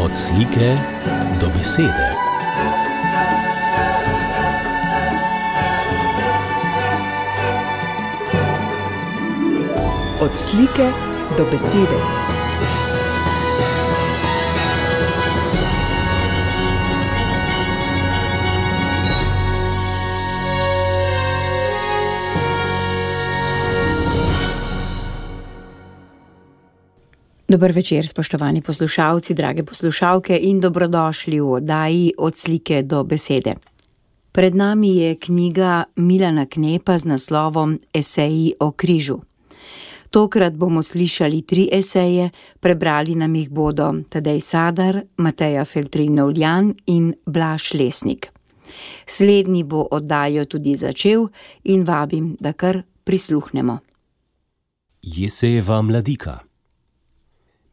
Od slike do besede. Od slike do besede. Dober večer, spoštovani poslušalci, drage poslušalke in dobrodošli v oddaji Od slike do besede. Pred nami je knjiga Milana Knepa z naslovom Eseji o križu. Tokrat bomo slišali 3 eseje, prebrali nam jih bodo Tadej Sadar, Mateja Feltrin-Novljan in Blaž Lesnik. Slednji bo oddajo tudi začel in vabim, da kar prisluhnemo. Jesejeva mladika.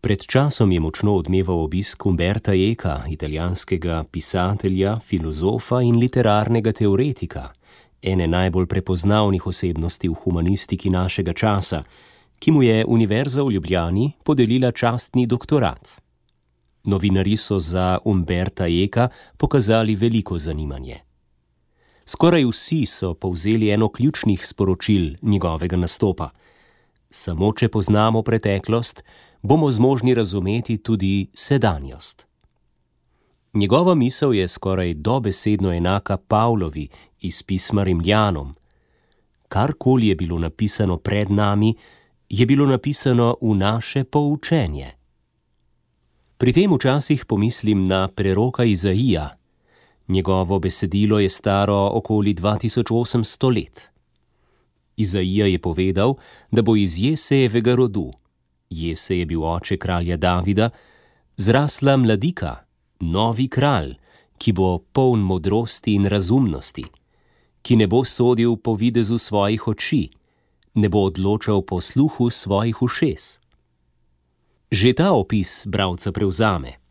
Pred časom je močno odmeval obisk Umberta Eka, italijanskega pisatelja, filozofa in literarnega teoretika, ene najbolj prepoznavnih osebnosti v humanistiki našega časa, ki mu je Univerza v Ljubljani podelila častni doktorat. Novinarji so za Umberta Eka pokazali veliko zanimanje. Skoraj vsi so povzeli eno ključnih sporočil njegovega nastopa. Samo če poznamo preteklost, bomo zmožni razumeti tudi sedanjost. Njegova misel je skoraj dobesedno enaka Pavlovi iz pisma Rimljanom. Karkoli je bilo napisano pred nami, je bilo napisano v naše poučenje. Pri tem včasih pomislim na preroka Izaija. Njegovo besedilo je staro okoli 2800 let. Izaija je povedal, da bo iz Jesejevega rodu, Jesej je bil oče kralja Davida, zrasla mladika, novi kralj, ki bo poln modrosti in razumnosti, ki ne bo sodil po videzu svojih oči, ne bo odločal po sluhu svojih ušes. Že ta opis bralca prevzame.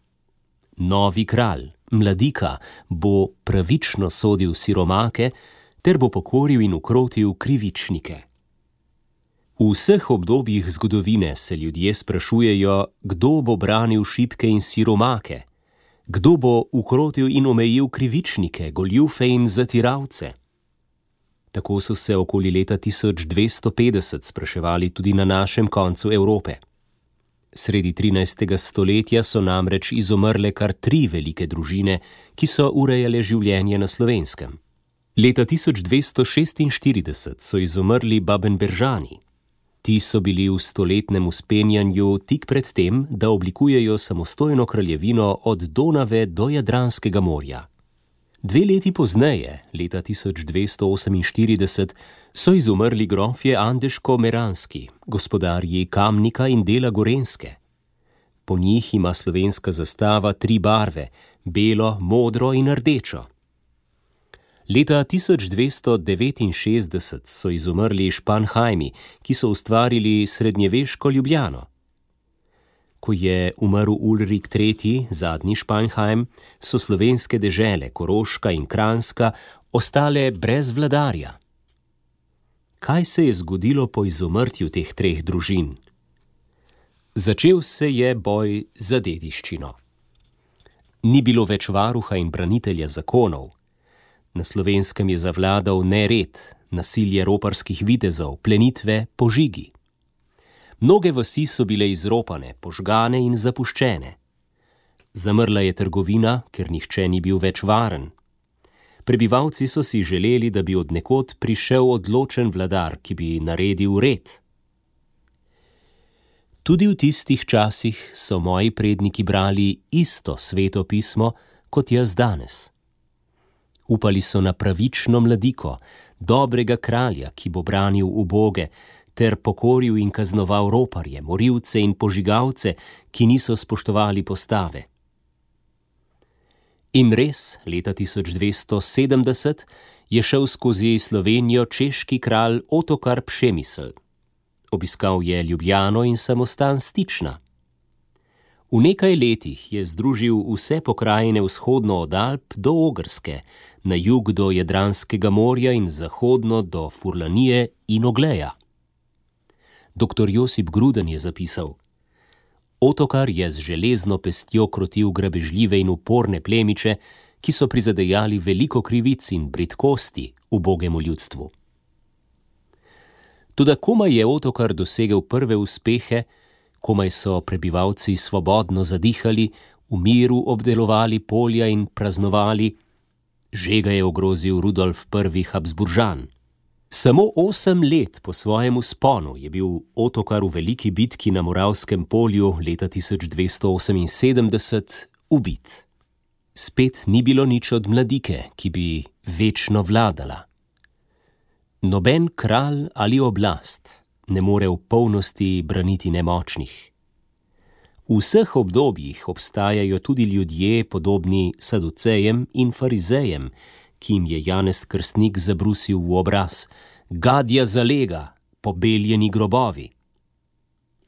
Novi kralj, mladika, bo pravično sodil siromake, ter bo pokoril in ukrotil krivičnike. V vseh obdobjih zgodovine se ljudje sprašujejo, kdo bo branil šibke in siromake, kdo bo ukrotil in omejil krivičnike, goljufe in zatiralce. Tako so se okoli leta 1250 spraševali tudi na našem koncu Evrope. Sredi 13. stoletja so namreč izumrle kar 3 velike družine, ki so urejale življenje na Slovenskem. Leta 1246 so izumrli Babenberžani. Ti so bili v stoletnem vzpenjanju tik pred tem, da oblikujejo samostojno kraljevino od Donave do Jadranskega morja. 2 leti pozneje, leta 1248, so izumrli grofje Andeško-Meranski, gospodarji Kamnika in dela Gorenjske. Po njih ima slovenska zastava 3 barve, belo, modro in rdečo. Leta 1269 so izumrli Španhajmi, ki so ustvarili srednjeveško Ljubljano. Ko je umrl Ulrik III., zadnji Španhajm, so slovenske dežele, Koroška in Kranjska, ostale brez vladarja. Kaj se je zgodilo po izumrtju teh 3 družin? Začel se je boj za dediščino. Ni bilo več varuha in branitelja zakonov. Na Slovenskem je zavladal nered, nasilje roparskih vitezov, plenitve, požigi. Mnoge vasi so bile izropane, požgane in zapuščene. Zamrla je trgovina, ker nihče ni bil več varen. Prebivalci so si želeli, da bi od nekod prišel odločen vladar, ki bi naredil red. Tudi v tistih časih so moji predniki brali isto sveto pismo, kot jaz danes. Upali so na pravično mladiko, dobrega kralja, ki bo branil uboge, ter pokoril in kaznoval roparje, morilce in požigalce, ki niso spoštovali postave. In res, leta 1270 je šel skozi Slovenijo češki kralj Otokar Přemysl. Obiskal je Ljubljano in samostan Stična. V nekaj letih je združil vse pokrajine vzhodno od Alp do Ogrske, na jug do Jadranskega morja in zahodno do Furlanije in Ogleja. Dr. Josip Gruden je zapisal: Otokar je z železno pestjo krotil grabežljive in uporne plemiče, ki so prizadejali veliko krivic in bridkosti ubogemu ljudstvu. Toda komaj je Otokar dosegel prve uspehe, komaj so prebivalci svobodno zadihali, v miru obdelovali polja in praznovali, že ga je ogrozil Rudolf I. Habsburžan. Samo 8 let po svojem vzponu je bil Otokar v veliki bitki na Moravskem polju leta 1278 ubit. Spet ni bilo nič od Mladike, ki bi večno vladala. Noben kralj ali oblast ne more v polnosti braniti nemočnih. V vseh obdobjih obstajajo tudi ljudje podobni Saducejem in Farizejem, ki jim je Janez Krstnik zabrusil v obraz: gadja zalega, pobeljeni grobovi.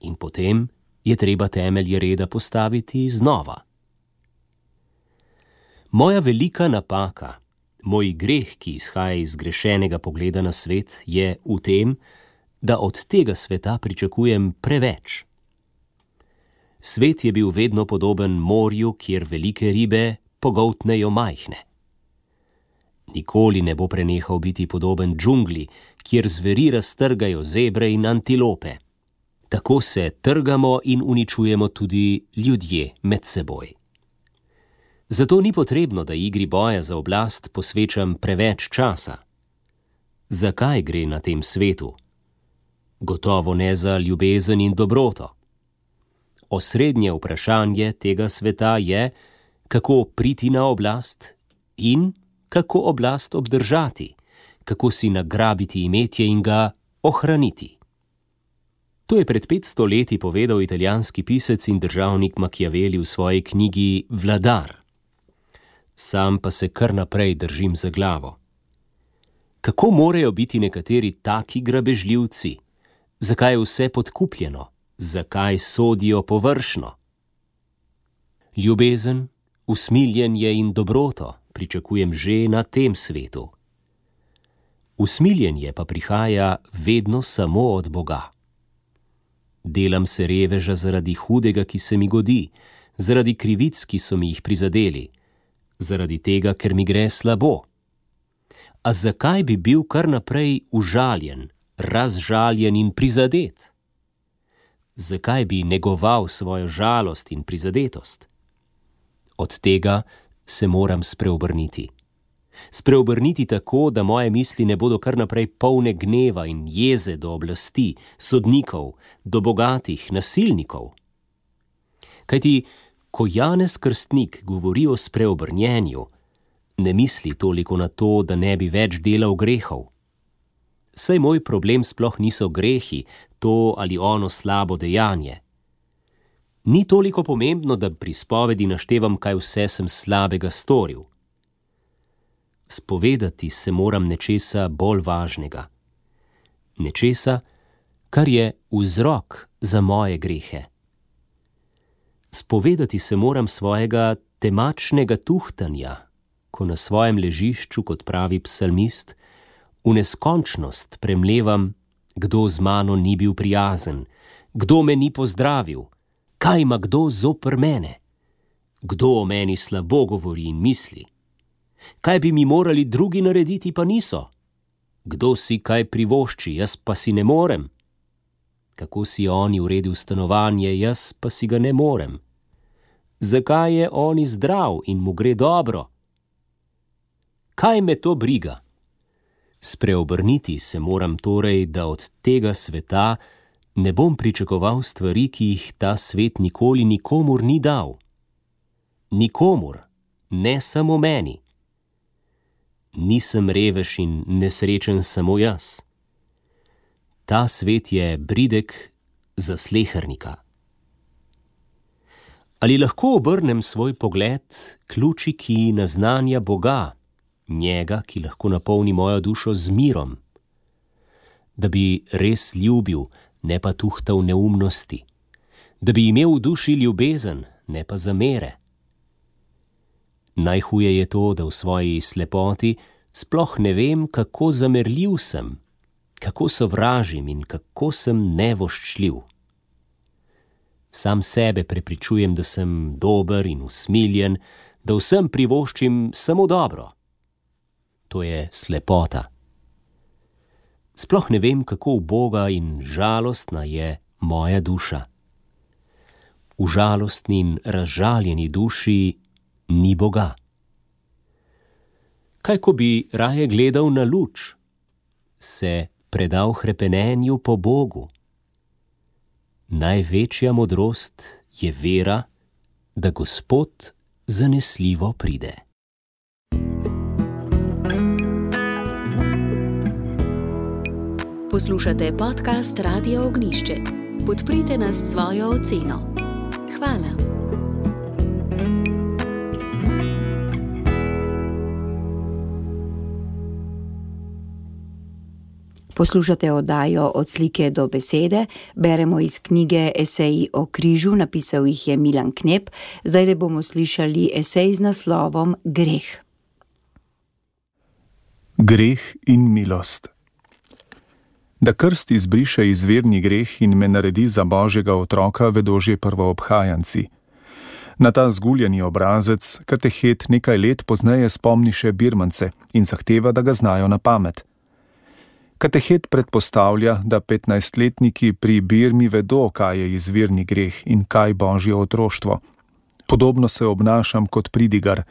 In potem je treba temelje reda postaviti znova. Moja velika napaka, moj greh, ki izhaja iz zgrešenega pogleda na svet, je v tem, da od tega sveta pričakujem preveč. Svet je bil vedno podoben morju, kjer velike ribe pogoltnejo majhne. Nikoli ne bo prenehal biti podoben džungli, kjer zveri raztrgajo zebre in antilope. Tako se trgamo in uničujemo tudi ljudje med seboj. Zato ni potrebno, da igri boja za oblast posvečam preveč časa. Zakaj gre na tem svetu? Gotovo ne za ljubezen in dobroto. Osrednje vprašanje tega sveta je, kako priti na oblast in kako oblast obdržati, kako si nagrabiti imetje in ga ohraniti. To je pred 500 leti povedal italijanski pisec in državnik Machiavelli v svoji knjigi Vladar. Sam pa se kar naprej držim za glavo. Kako morajo biti nekateri taki grabežljivci? Zakaj je vse podkupljeno? Zakaj sodijo površno? Ljubezen, usmiljenje in dobroto pričakujem že na tem svetu. Usmiljenje pa prihaja vedno samo od Boga. Delam se reveža zaradi hudega, ki se mi godi, zaradi krivic, ki so mi jih prizadeli, zaradi tega, ker mi gre slabo. A zakaj bi bil kar naprej užaljen, razžaljen in prizadet? Zakaj bi negoval svojo žalost in prizadetost? Od tega se moram spreobrniti. Spreobrniti tako, da moje misli ne bodo kar naprej polne gneva in jeze do oblasti, sodnikov, do bogatih, nasilnikov. Kajti, ko Janez Krstnik govori o spreobrnjenju, ne misli toliko na to, da ne bi več delal grehov. Saj moj problem sploh niso grehi, to ali ono slabo dejanje. Ni toliko pomembno, da pri spovedi naštevam, kaj vse sem slabega storil. Spovedati se moram nečesa bolj važnega. Nečesa, kar je vzrok za moje grehe. Spovedati se moram svojega temačnega tuhtanja, ko na svojem ležišču, kot pravi psalmist, v neskončnost premlevam, kdo z mano ni bil prijazen, kdo me ni pozdravil, kaj ima kdo zoper mene, kdo o meni slabo govori in misli, kaj bi mi morali drugi narediti, pa niso, kdo si kaj privošči, jaz pa si ne morem, kako si oni uredil stanovanje, jaz pa si ga ne morem, zakaj je oni zdrav in mu gre dobro, kaj me to briga? Spreobrniti se moram torej, da od tega sveta ne bom pričakoval stvari, ki jih ta svet nikoli nikomur ni dal. Nikomur, ne samo meni. Nisem revež in nesrečen samo jaz. Ta svet je bridek za slehernika. Ali lahko obrnem svoj pogled k luči, ki naznanja Boga, njega, ki lahko napolni mojo dušo z mirom, da bi res ljubil, ne pa tuhtal neumnosti, da bi imel v duši ljubezen, ne pa zamere. Najhuje je to, da v svoji slepoti sploh ne vem, kako zamerljiv sem, kako sovražim in kako sem nevoščljiv. Sam sebe prepričujem, da sem dober in usmiljen, da vsem privoščim samo dobro. To je slepota. Sploh ne vem, kako uboga in žalostna je moja duša. V žalostni in razžaljeni duši ni Boga. Kaj, ko bi raje gledal na luč, se predal hrepenenju po Bogu? Največja modrost je vera, da Gospod zanesljivo pride. Poslušate podcast Radio Ognjišče. Podprite nas s svojo oceno. Hvala. Poslušate oddajo Od slike do besede, beremo iz knjige Eseji o križu, napisal jih je Milan Knep. Zdaj le bomo slišali esej z naslovom Greh. Greh in milost. Da krst izbriše izvirni greh in me naredi za Božjega otroka, vedo že prvoobhajanci. Na ta zguljeni obrazec katehet nekaj let pozneje spomni še birmance in zahteva, da ga znajo na pamet. Katehet predpostavlja, da 15-letniki pri Birmi vedo, kaj je izvirni greh in kaj Božje otroštvo. Podobno se obnašam kot pridigar.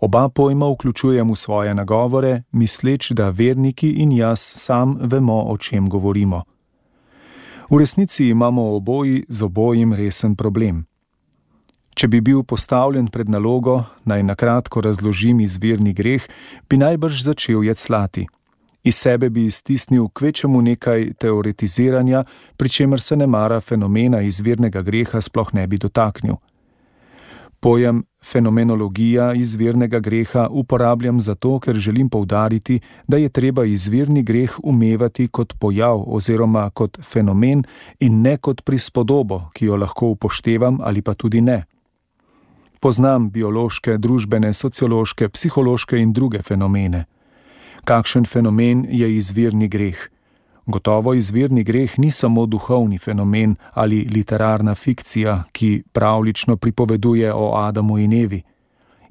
Oba pojma vključujem v svoje nagovore, misleč, da verniki in jaz sam vemo, o čem govorimo. V resnici imamo oboji z obojim resen problem. Če bi bil postavljen pred nalogo, naj nakratko razložim izvirni greh, bi najbrž začel jecljati. Iz sebe bi iztisnil kvečemu nekaj teoretiziranja, pri čemer se nemara fenomena izvirnega greha sploh ne bi dotaknil. Pojem fenomenologija izvirnega greha uporabljam zato, ker želim poudariti, da je treba izvirni greh umevati kot pojav oziroma kot fenomen in ne kot prispodobo, ki jo lahko upoštevam ali pa tudi ne. Poznam biološke, družbene, sociološke, psihološke in druge fenomene. Kakšen fenomen je izvirni greh? Gotovo izvirni greh ni samo duhovni fenomen ali literarna fikcija, ki pravljično pripoveduje o Adamu in Evi.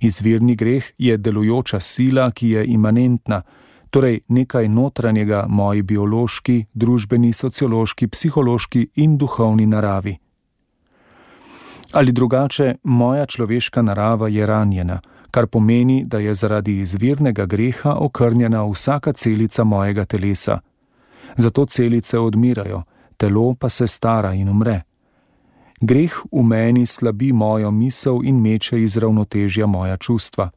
Izvirni greh je delujoča sila, ki je imanentna, torej nekaj notranjega moji biološki, družbeni, sociološki, psihološki in duhovni naravi. Ali drugače, moja človeška narava je ranjena, kar pomeni, da je zaradi izvirnega greha okrnjena vsaka celica mojega telesa. Zato celice odmirajo, telo pa se stara in umre. Greh v meni slabi mojo misel in meče iz ravnotežja moja čustva.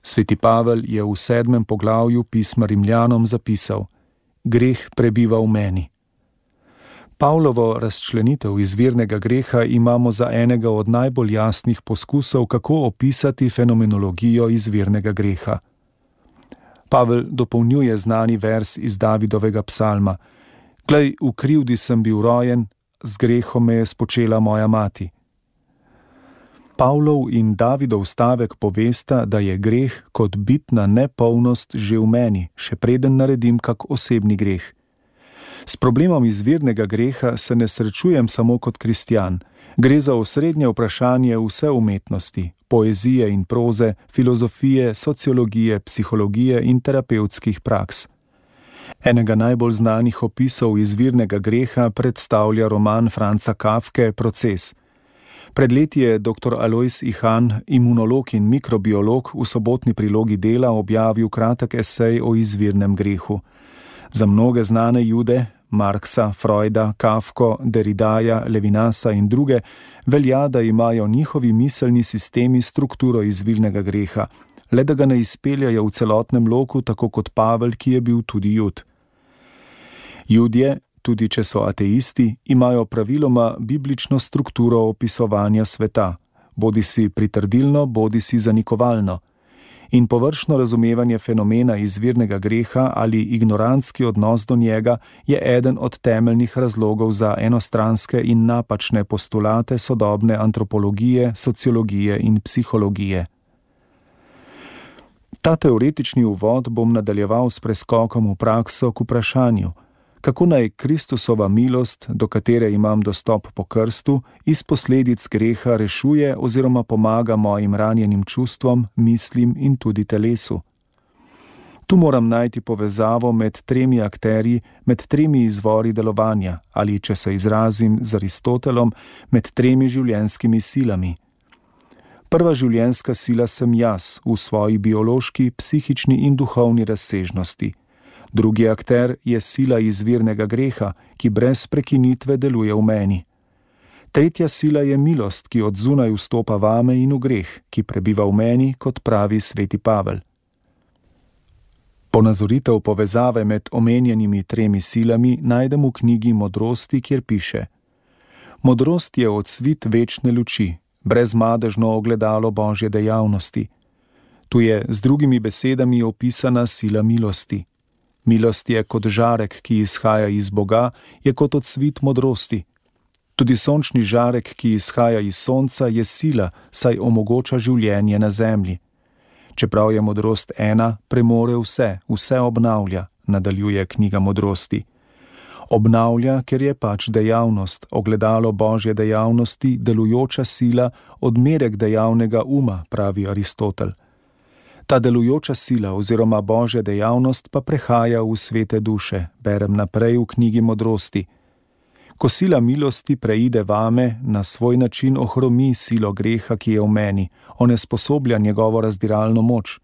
Sveti Pavel je v 7. poglavju pisma Rimljanom zapisal: greh prebiva v meni. Pavlovo razčlenitev izvirnega greha imamo za enega od najbolj jasnih poskusov, kako opisati fenomenologijo izvirnega greha. Pavel dopolnjuje znani vers iz Davidovega psalma: Glej, v krivdi sem bil rojen, z grehom me je spočela moja mati. Pavlov in Davidov stavek povesta, da je greh kot bitna nepolnost že v meni, še preden naredim kak osebni greh. S problemom izvirnega greha se ne srečujem samo kot kristjan. Gre za osrednje vprašanje vse umetnosti, poezije in proze, filozofije, sociologije, psihologije in terapevtskih praks. Enega najbolj znanih opisov izvirnega greha predstavlja roman Franza Kafke Proces. Pred leti je dr. Alois Ihan, imunolog in mikrobiolog, v sobotni prilogi Dela objavil kratek esej o izvirnem grehu. Za mnoge znane Jude, Marksa, Freuda, Kafko, Derridaja, Levinasa in druge, velja, da imajo njihovi miselni sistemi strukturo izvirnega greha, le da ga ne izpeljajo v celotnem loku, tako kot Pavel, ki je bil tudi Jud. Judje, tudi če so ateisti, imajo praviloma biblično strukturo opisovanja sveta, bodisi pritrdilno, bodisi zanikovalno. In površno razumevanje fenomena izvirnega greha ali ignorantski odnos do njega je eden od temeljnih razlogov za enostranske in napačne postulate sodobne antropologije, sociologije in psihologije. Ta teoretični uvod bom nadaljeval s preskokom v prakso k vprašanju, Kako naj Kristusova milost, do katere imam dostop po krstu, iz posledic greha rešuje oziroma pomaga mojim ranjenim čustvom, mislim in tudi telesu. Tu moram najti povezavo med tremi akterji, med tremi izvori delovanja, ali, če se izrazim z Aristotelom, med tremi življenjskimi silami. Prva življenjska sila sem jaz v svoji biološki, psihični in duhovni razsežnosti. Drugi akter je sila izvirnega greha, ki brez prekinitve deluje v meni. Tretja sila je milost, ki od zunaj vstopa vame in v greh, ki prebiva v meni, kot pravi sveti Pavel. Ponazoritev povezave med omenjenimi tremi silami najdem v knjigi Modrosti, kjer piše: Modrost je odsvit večne luči, brezmadežno ogledalo Božje dejavnosti. Tu je z drugimi besedami opisana sila milosti. Milost je kot žarek, ki izhaja iz Boga, je kot odsvit modrosti. Tudi sončni žarek, ki izhaja iz sonca, je sila, saj omogoča življenje na zemlji. Čeprav je modrost ena, premore vse, vse obnavlja, nadaljuje knjiga Modrosti. Obnavlja, ker je pač dejavnost, ogledalo Božje dejavnosti, delujoča sila, odmerek dejavnega uma, pravi Aristotel. Ta delujoča sila oziroma Božja dejavnost pa prehaja v svete duše, berem naprej v knjigi Modrosti. Ko sila milosti preide vame, na svoj način ohromi silo greha, ki je v meni, onesposoblja njegovo razdiralno moč.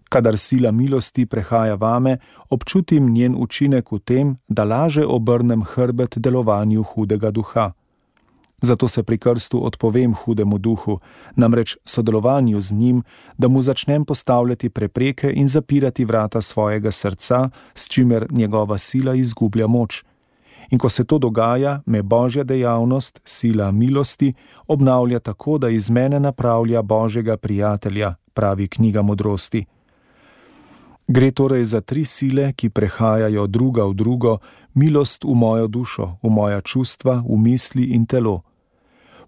Kadar sila milosti prehaja vame, občutim njen učinek v tem, da laže obrnem hrbet delovanju hudega duha. Zato se pri krstu odpovem hudemu duhu, namreč sodelovanju z njim, da mu začnem postavljati prepreke in zapirati vrata svojega srca, s čimer njegova sila izgublja moč. In ko se to dogaja, me Božja dejavnost, sila milosti, obnavlja tako, da iz mene napravlja Božjega prijatelja, pravi knjiga Modrosti. Gre torej za tri sile, ki prehajajo druga v drugo, milost v mojo dušo, v moja čustva, v misli in telo.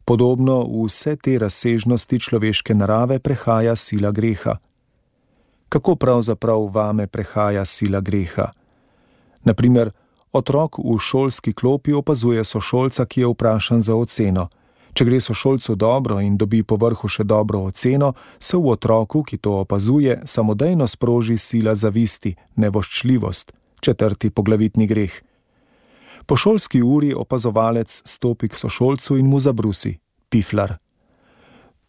Podobno v vse te razsežnosti človeške narave prehaja sila greha. Kako pravzaprav vame prehaja sila greha? Naprimer, otrok v šolski klopi opazuje sošolca, ki je vprašan za oceno. Če gre sošolcu dobro in dobi povrhu še dobro oceno, se v otroku, ki to opazuje, samodejno sproži sila zavisti, nevoščljivost, četrti poglavitni greh. Po šolski uri opazovalec stopi k sošolcu in mu zabrusi: piflar.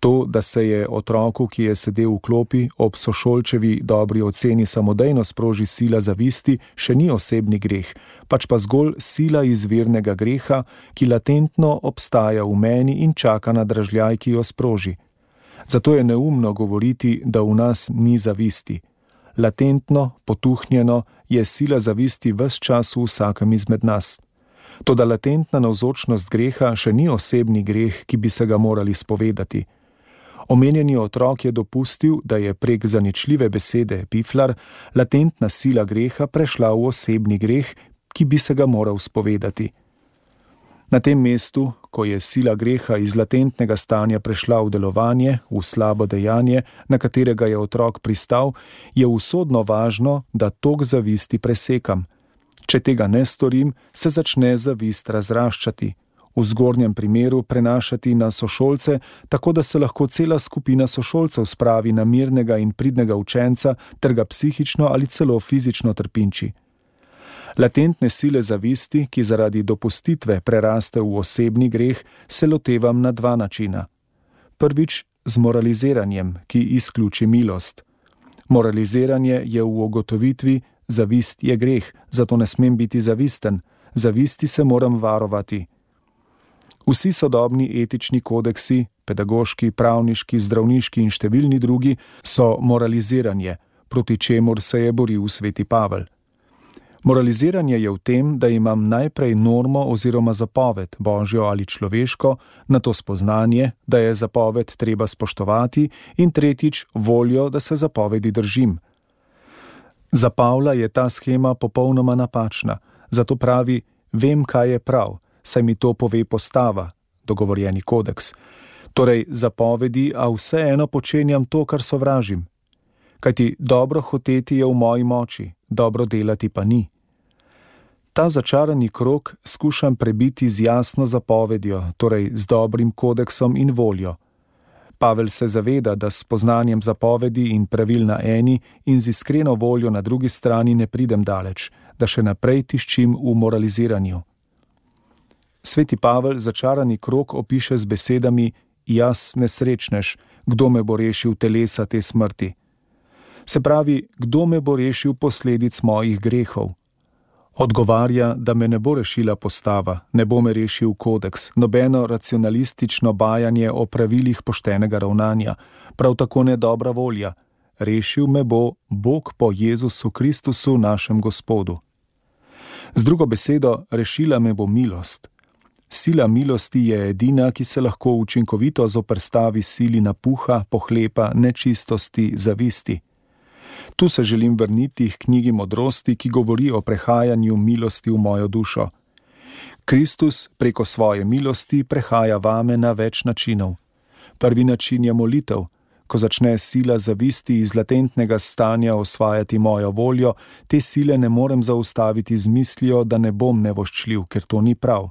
To, da se je otroku, ki je sedel v klopi, ob sošolčevi dobri oceni samodejno sproži sila zavisti, še ni osebni greh, pač pa zgolj sila izvirnega greha, ki latentno obstaja v meni in čaka na dražljaj, ki jo sproži. Zato je neumno govoriti, da v nas ni zavisti. Latentno, potuhnjeno je sila zavisti ves čas v vsakem izmed nas. Toda latentna navzočnost greha še ni osebni greh, ki bi se ga morali spovedati. Omenjeni otrok je dopustil, da je prek zaničljive besede piflar latentna sila greha prešla v osebni greh, ki bi se ga moral spovedati. Na tem mestu, ko je sila greha iz latentnega stanja prešla v delovanje, v slabo dejanje, na katerega je otrok pristal, je usodno važno, da tok zavisti presekam. Če tega ne storim, se začne zavist razraščati. V zgornjem primeru prenašati na sošolce, tako da se lahko cela skupina sošolcev spravi na mirnega in pridnega učenca ter ga psihično ali celo fizično trpinči. Latentne sile zavisti, ki zaradi dopustitve preraste v osebni greh, se lotevam na dva načina. Prvič z moraliziranjem, ki izključi milost. Moraliziranje je v ugotovitvi: zavist je greh, zato ne smem biti zavisten, zavisti se moram varovati. Vsi sodobni etični kodeksi, pedagoški, pravniški, zdravniški in številni drugi, so moraliziranje, proti čemur se je boril sveti Pavel. Moraliziranje je v tem, da imam najprej normo oziroma zapoved, božjo ali človeško, nato spoznanje, da je zapoved treba spoštovati, in tretjič voljo, da se zapovedi držim. Za Pavla je ta shema popolnoma napačna, zato pravi: vem, kaj je prav, saj mi to pove postava, dogovorjeni kodeks. Torej zapovedi, a vseeno počenjam to, kar sovražim. Kajti dobro hoteti je v moji moči, dobro delati pa ni. Ta začarani krog skušam prebiti z jasno zapovedjo, torej z dobrim kodeksom in voljo. Pavel se zaveda, da s poznanjem zapovedi in pravil na eni in z iskreno voljo na drugi strani ne pridem daleč, da še naprej tiščim v moraliziranju. Sveti Pavel začarani krog opiše z besedami: jaz nesrečnež, kdo me bo rešil telesa te smrti? Se pravi, kdo me bo rešil posledic mojih grehov? Odgovarja, da me ne bo rešila postava, ne bo me rešil kodeks, nobeno racionalistično bajanje o pravilih poštenega ravnanja, prav tako ne dobra volja. Rešil me bo Bog po Jezusu Kristusu, našem Gospodu. Z drugo besedo, rešila me bo milost. Sila milosti je edina, ki se lahko učinkovito zoperstavi sili napuha, pohlepa, nečistosti, zavisti. Tu se želim vrniti k knjigi Modrosti, ki govori o prehajanju milosti v mojo dušo. Kristus preko svoje milosti prehaja vame na več načinov. Prvi način je molitev. Ko začne sila zavisti iz latentnega stanja osvajati mojo voljo, te sile ne morem zaustaviti z mislijo, da ne bom nevoščljiv, ker to ni prav.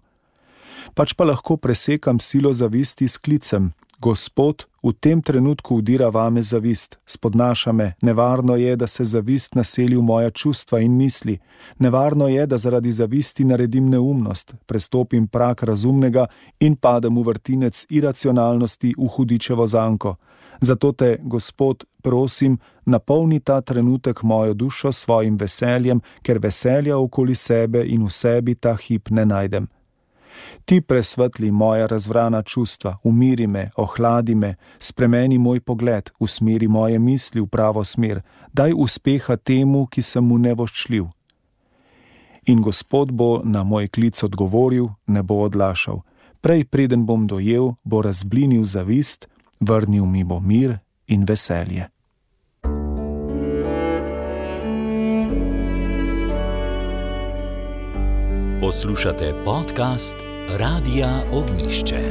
Pač pa lahko presekam silo zavisti s klicem: Gospod, v tem trenutku udira vame zavist, spodnaša me, nevarno je, da se zavist naseli v moja čustva in misli, nevarno je, da zaradi zavisti naredim neumnost, prestopim prag razumnega in padem v vrtinec iracionalnosti v hudičevo zanko. Zato te, Gospod, prosim, napolni ta trenutek mojo dušo s svojim veseljem, ker veselja okoli sebe in v sebi ta hip ne najdem. Ti presvetli moja razvrana čustva, umiri me, ohladi me, spremeni moj pogled, usmeri moje misli v pravo smer, daj uspeha temu, ki sem mu nevoščljiv. In Gospod bo na moj klic odgovoril, ne bo odlašal. Prej preden bom dojel, bo razblinil zavist, vrnil mi bo mir in veselje. Poslušate podcast Radia Ognišče.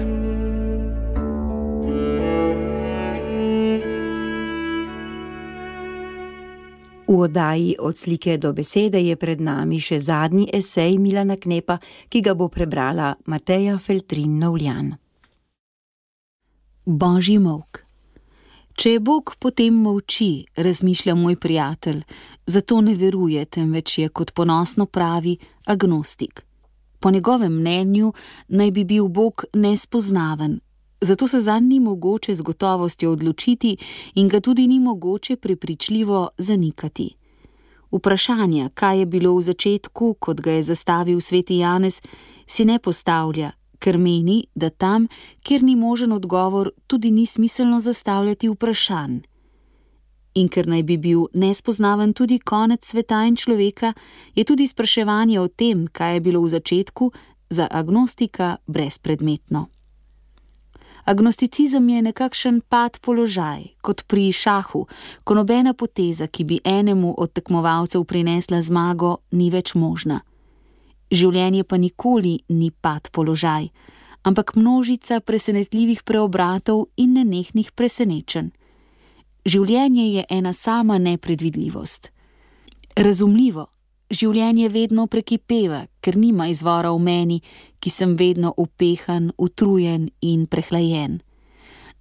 V oddaji Od slike do besede je pred nami še zadnji esej Milana Knepa, ki ga bo prebrala Mateja Feltrin-Novljan. Božji molk. Če je Bog, potem molči, razmišlja moj prijatelj, zato ne veruje, temveč je, kot ponosno pravi, agnostik. Po njegovem mnenju naj bi bil Bog nespoznaven, zato se zanj ni mogoče z gotovostjo odločiti in ga tudi ni mogoče prepričljivo zanikati. Vprašanja, kaj je bilo v začetku, kot ga je zastavil sveti Janez, si ne postavlja, ker meni, da tam, kjer ni možen odgovor, tudi ni smiselno zastavljati vprašanj. In ker naj bi bil nespoznaven tudi konec sveta in človeka, je tudi spraševanje o tem, kaj je bilo v začetku, za agnostika brezpredmetno. Agnosticizem je nekakšen pad položaj, kot pri šahu, ko nobena poteza, ki bi enemu od tekmovalcev prinesla zmago, ni več možna. Življenje pa nikoli ni pad položaj, ampak množica presenetljivih preobratov in nenehnih presenečenj. Življenje je ena sama nepredvidljivost. Razumljivo, življenje vedno prekipeva, ker nima izvora v meni, ki sem vedno upehan, utrujen in prehlajen.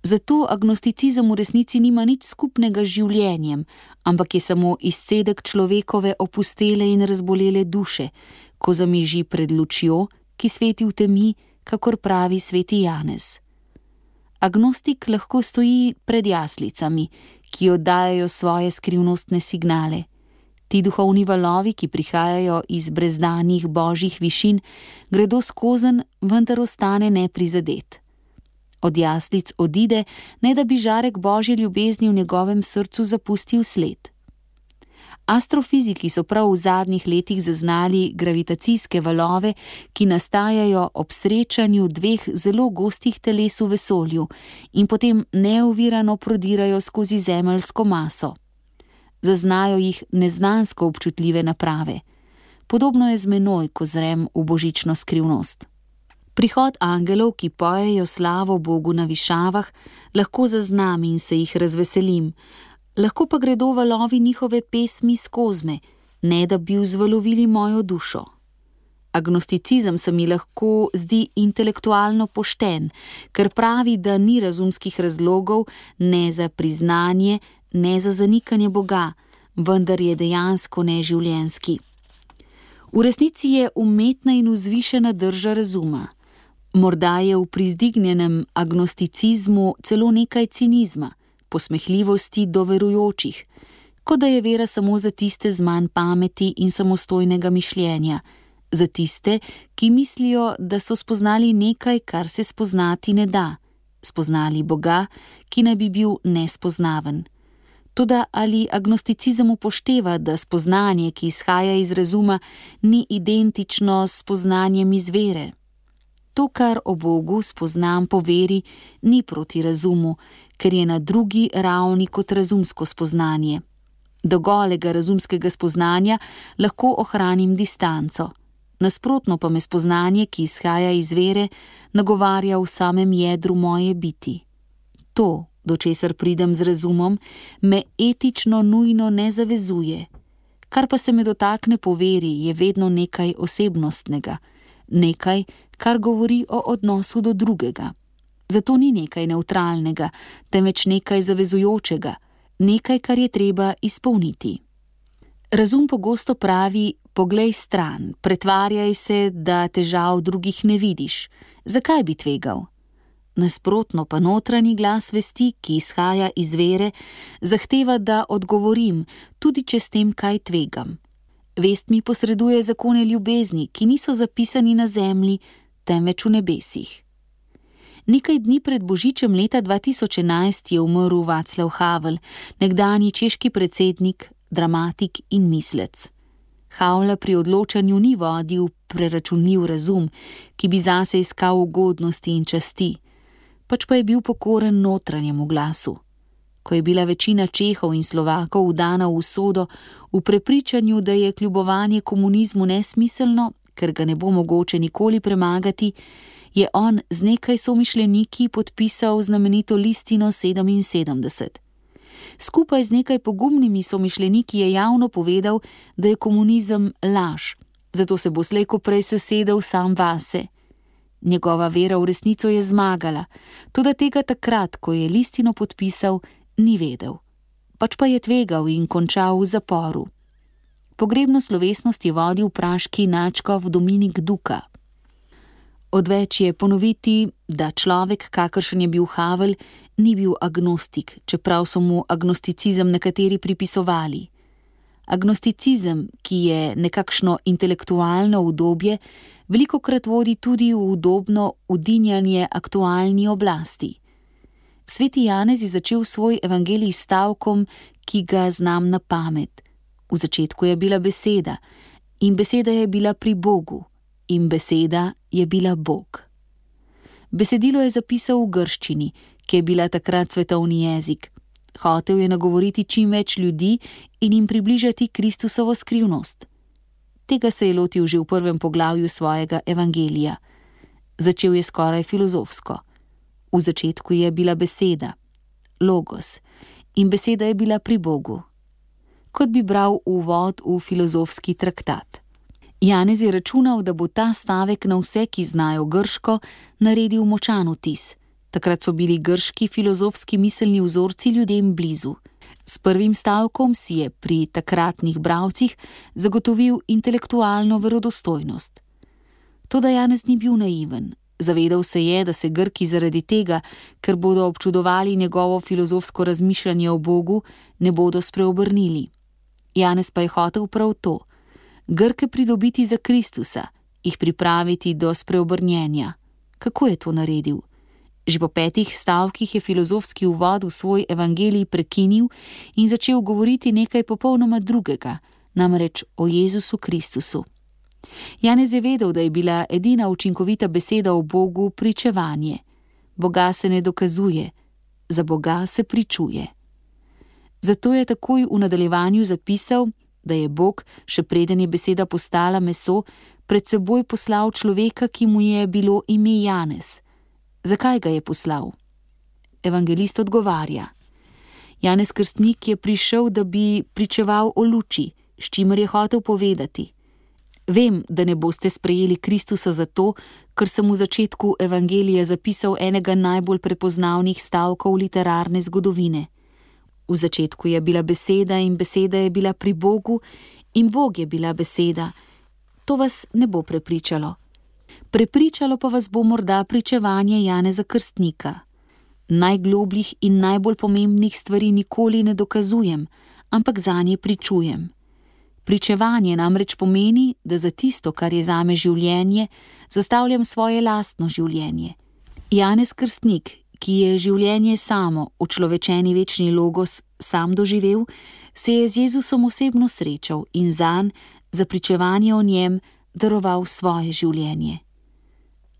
Zato agnosticizem v resnici nima nič skupnega z življenjem, ampak je samo izcedek človekove opustele in razbolele duše, ko zamiži pred lučjo, ki sveti v temi, kakor pravi sveti Janez. Agnostik lahko stoji pred jaslicami, ki oddajajo svoje skrivnostne signale. Ti duhovni valovi, ki prihajajo iz brezdanih božjih višin, gredo skozenj, vendar ostane neprizadet. Od jaslic odide, ne da bi žarek božje ljubezni v njegovem srcu zapustil sled. Astrofiziki so prav v zadnjih letih zaznali gravitacijske valove, ki nastajajo ob srečanju dveh zelo gostih teles v vesolju in potem neovirano prodirajo skozi zemeljsko maso. Zaznajo jih neznansko občutljive naprave. Podobno je z menoj, ko zrem v božično skrivnost. Prihod angelov, ki pojejo slavo Bogu na višavah, lahko zaznam in se jih razveselim, lahko pa gredo valovi njihove pesmi skozi me, ne da bi vzvalovili mojo dušo. Agnosticizem se mi lahko zdi intelektualno pošten, ker pravi, da ni razumskih razlogov ne za priznanje, ne za zanikanje Boga, vendar je dejansko neživljenjski. V resnici je umetna in vzvišena drža razuma. Morda je v prizdignjenem agnosticizmu celo nekaj cinizma, posmehljivosti do verujočih, kot da je vera samo za tiste z manj pameti in samostojnega mišljenja, za tiste, ki mislijo, da so spoznali nekaj, kar se spoznati ne da, spoznali Boga, ki naj bi bil nespoznaven. Toda ali agnosticizem upošteva, da spoznanje, ki izhaja iz razuma, ni identično s spoznanjem iz vere? To, kar o Bogu spoznam po veri, ni proti razumu, ker je na drugi ravni kot razumsko spoznanje. Do golega razumskega spoznanja lahko ohranim distanco. Nasprotno pa me spoznanje, ki izhaja iz vere, nagovarja v samem jedru moje biti. To, do česar pridem z razumom, me etično nujno ne zavezuje. Kar pa se me dotakne po veri, je vedno nekaj osebnostnega, nekaj, kar govori o odnosu do drugega. Zato ni nekaj nevtralnega, temveč nekaj zavezujočega, nekaj, kar je treba izpolniti. Razum pogosto pravi: poglej stran, pretvarjaj se, da težav drugih ne vidiš. Zakaj bi tvegal? Nasprotno pa notranji glas vesti, ki izhaja iz vere, zahteva, da odgovorim, tudi če s tem kaj tvegam. Vest mi posreduje zakone ljubezni, ki niso zapisani na zemlji, temveč v nebesih. Nekaj dni pred božičem leta 2011 je umrl Václav Havel, nekdanji češki predsednik, dramatik in mislec. Havla pri odločanju ni vodil preračunljiv razum, ki bi zase iskal ugodnosti in časti, pač pa je bil pokoren notranjemu glasu. Ko je bila večina Čehov in Slovakov vdana v usodo, v prepričanju, da je kljubovanje komunizmu nesmiselno, ker ga ne bo mogoče nikoli premagati, je on z nekaj somišljeniki podpisal znamenito listino 77. Skupaj z nekaj pogumnimi somišljeniki je javno povedal, da je komunizem laž, zato se bo slej ko prej sesedel sam vase. Njegova vera v resnico je zmagala, toda tega takrat, ko je listino podpisal, ni vedel. Pač pa je tvegal in končal v zaporu. Pogrebno slovesnost je vodil praški nadškof Dominik Duka. Odveč je ponoviti, da človek, kakršen je bil Havel, ni bil agnostik, čeprav so mu agnosticizem nekateri pripisovali. Agnosticizem, ki je nekakšno intelektualno udobje, velikokrat vodi tudi v udobno udinjanje aktualni oblasti. Sveti Janez je začel svoj evangelij s stavkom, ki ga znam na pamet. V začetku je bila beseda, in beseda je bila pri Bogu, in beseda je bila Bog. Besedilo je zapisal v grščini, ki je bila takrat svetovni jezik. Hotel je nagovoriti čim več ljudi in jim približati Kristusovo skrivnost. Tega se je lotil že v prvem poglavju svojega evangelija. Začel je skoraj filozofsko. V začetku je bila beseda, logos, in beseda je bila pri Bogu. Kot bi bral uvod v filozofski traktat. Janez je računal, da bo ta stavek na vse, ki znajo grško, naredil močan vtis. Takrat so bili grški filozofski miselni vzorci ljudem blizu. S prvim stavkom si je pri takratnih bralcih zagotovil intelektualno verodostojnost. Toda Janez ni bil naiven. Zavedal se je, da se Grki zaradi tega, ker bodo občudovali njegovo filozofsko razmišljanje o Bogu, ne bodo spreobrnili. Janez pa je hotel prav to. Grke pridobiti za Kristusa, jih pripraviti do spreobrnjenja. Kako je to naredil? Že po 5 stavkih je filozofski uvod v svoj evangelij prekinil in začel govoriti nekaj popolnoma drugega, namreč o Jezusu Kristusu. Janez je vedel, da je bila edina učinkovita beseda o Bogu pričevanje. Boga se ne dokazuje, za Boga se pričuje. Zato je takoj v nadaljevanju zapisal, da je Bog, še preden je beseda postala meso, pred seboj poslal človeka, ki mu je bilo ime Janez. Zakaj ga je poslal? Evangelist odgovarja. Janez Krstnik je prišel, da bi pričeval o luči, s čimer je hotel povedati. Vem, da ne boste sprejeli Kristusa zato, ker sem v začetku evangelija zapisal enega najbolj prepoznavnih stavkov literarne zgodovine. V začetku je bila beseda in beseda je bila pri Bogu in Bog je bila beseda. To vas ne bo prepričalo. Prepričalo pa vas bo morda pričevanje Janeza Krstnika. Najglobljih in najbolj pomembnih stvari nikoli ne dokazujem, ampak zanje pričujem. Pričevanje namreč pomeni, da za tisto, kar je zame življenje, zastavljam svoje lastno življenje. Janez Krstnik, ki je življenje samo, učlovečeni večni logos, sam doživel, se je z Jezusom osebno srečal in zanj, za pričevanje o njem, daroval svoje življenje.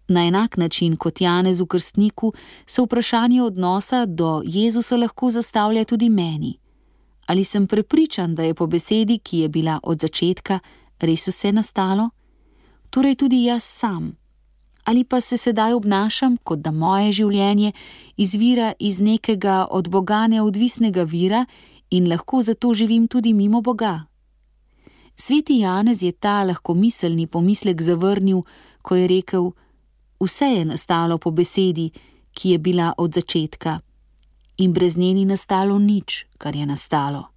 Na enak način kot Janezu Krstniku se vprašanje odnosa do Jezusa lahko zastavlja tudi meni. Ali sem prepričan, da je po besedi, ki je bila od začetka, res vse nastalo? Torej tudi jaz sam. Ali pa se sedaj obnašam, kot da moje življenje izvira iz nekega od Boga neodvisnega vira in lahko zato živim tudi mimo Boga? Sveti Janez je ta lahkomiselni pomislek zavrnil, ko je rekel: vse je nastalo po besedi, ki je bila od začetka, in brez nje ni nastalo nič, kar je nastalo.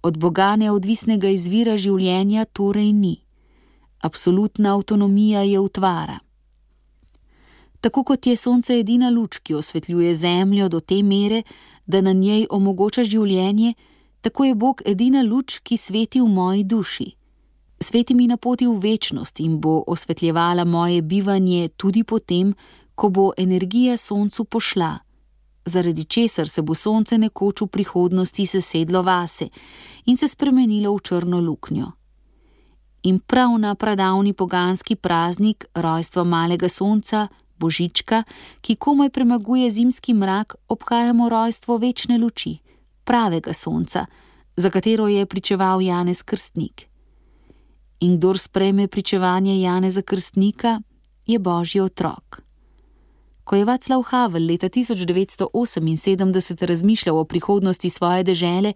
Od Boga neodvisnega izvira življenja torej ni. Absolutna avtonomija je utvara. Tako kot je sonce edina luč, ki osvetljuje zemljo do te mere, da na njej omogoča življenje, tako je Bog edina luč, ki sveti v moji duši. Sveti mi na poti v večnost in bo osvetljevala moje bivanje tudi potem, ko bo energija soncu pošla, zaradi česar se bo sonce nekoč v prihodnosti sesedlo vase in se spremenilo v črno luknjo. In prav na pradavni poganski praznik rojstva malega sonca, Božička, ki komaj premaguje zimski mrak, obhajamo rojstvo večne luči, pravega sonca, za katero je pričeval Janez Krstnik. In kdor sprejme pričevanje Janeza Krstnika, je Božji otrok. Ko je Václav Havel leta 1978 razmišljal o prihodnosti svoje dežele,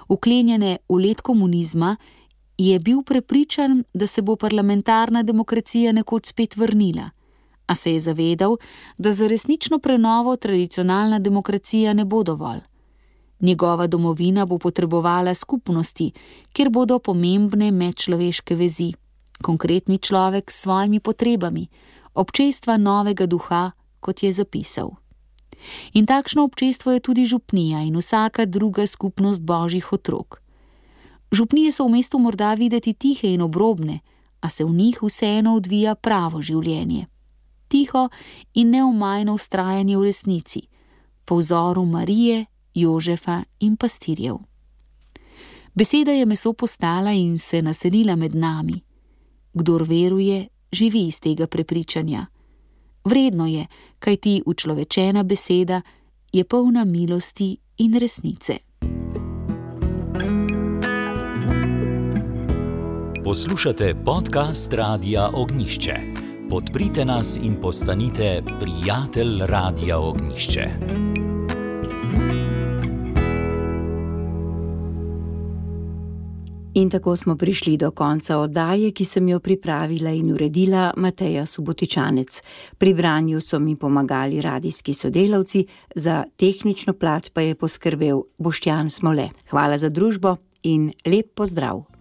vklenjene v led komunizma, je bil prepričan, da se bo parlamentarna demokracija nekoč spet vrnila, a se je zavedal, da za resnično prenovo tradicionalna demokracija ne bo dovolj. Njegova domovina bo potrebovala skupnosti, kjer bodo pomembne medčloveške vezi, konkretni človek s svojimi potrebami, občestva novega duha, kot je zapisal. In takšno občestvo je tudi župnija in vsaka druga skupnost Božjih otrok. Župnije so v mestu morda videti tihe in obrobne, a se v njih vseeno odvija pravo življenje. Tiho in neomajno vztrajanje v resnici, po vzoru Marije, Jožefa in pastirjev. Beseda je meso postala in se naselila med nami. Kdor veruje, živi iz tega prepričanja. Vredno je, kajti učlovečena beseda je polna milosti in resnice. Poslušate podcast Radia Ognjišče. Podprite nas in postanite prijatelj Radia Ognjišče. In tako smo prišli do konca oddaje, ki sem jo pripravila in uredila Mateja Subotičanec. Pri branju so mi pomagali radijski sodelavci, za tehnično plat pa je poskrbel Boštjan Smole. Hvala za družbo in lep pozdrav!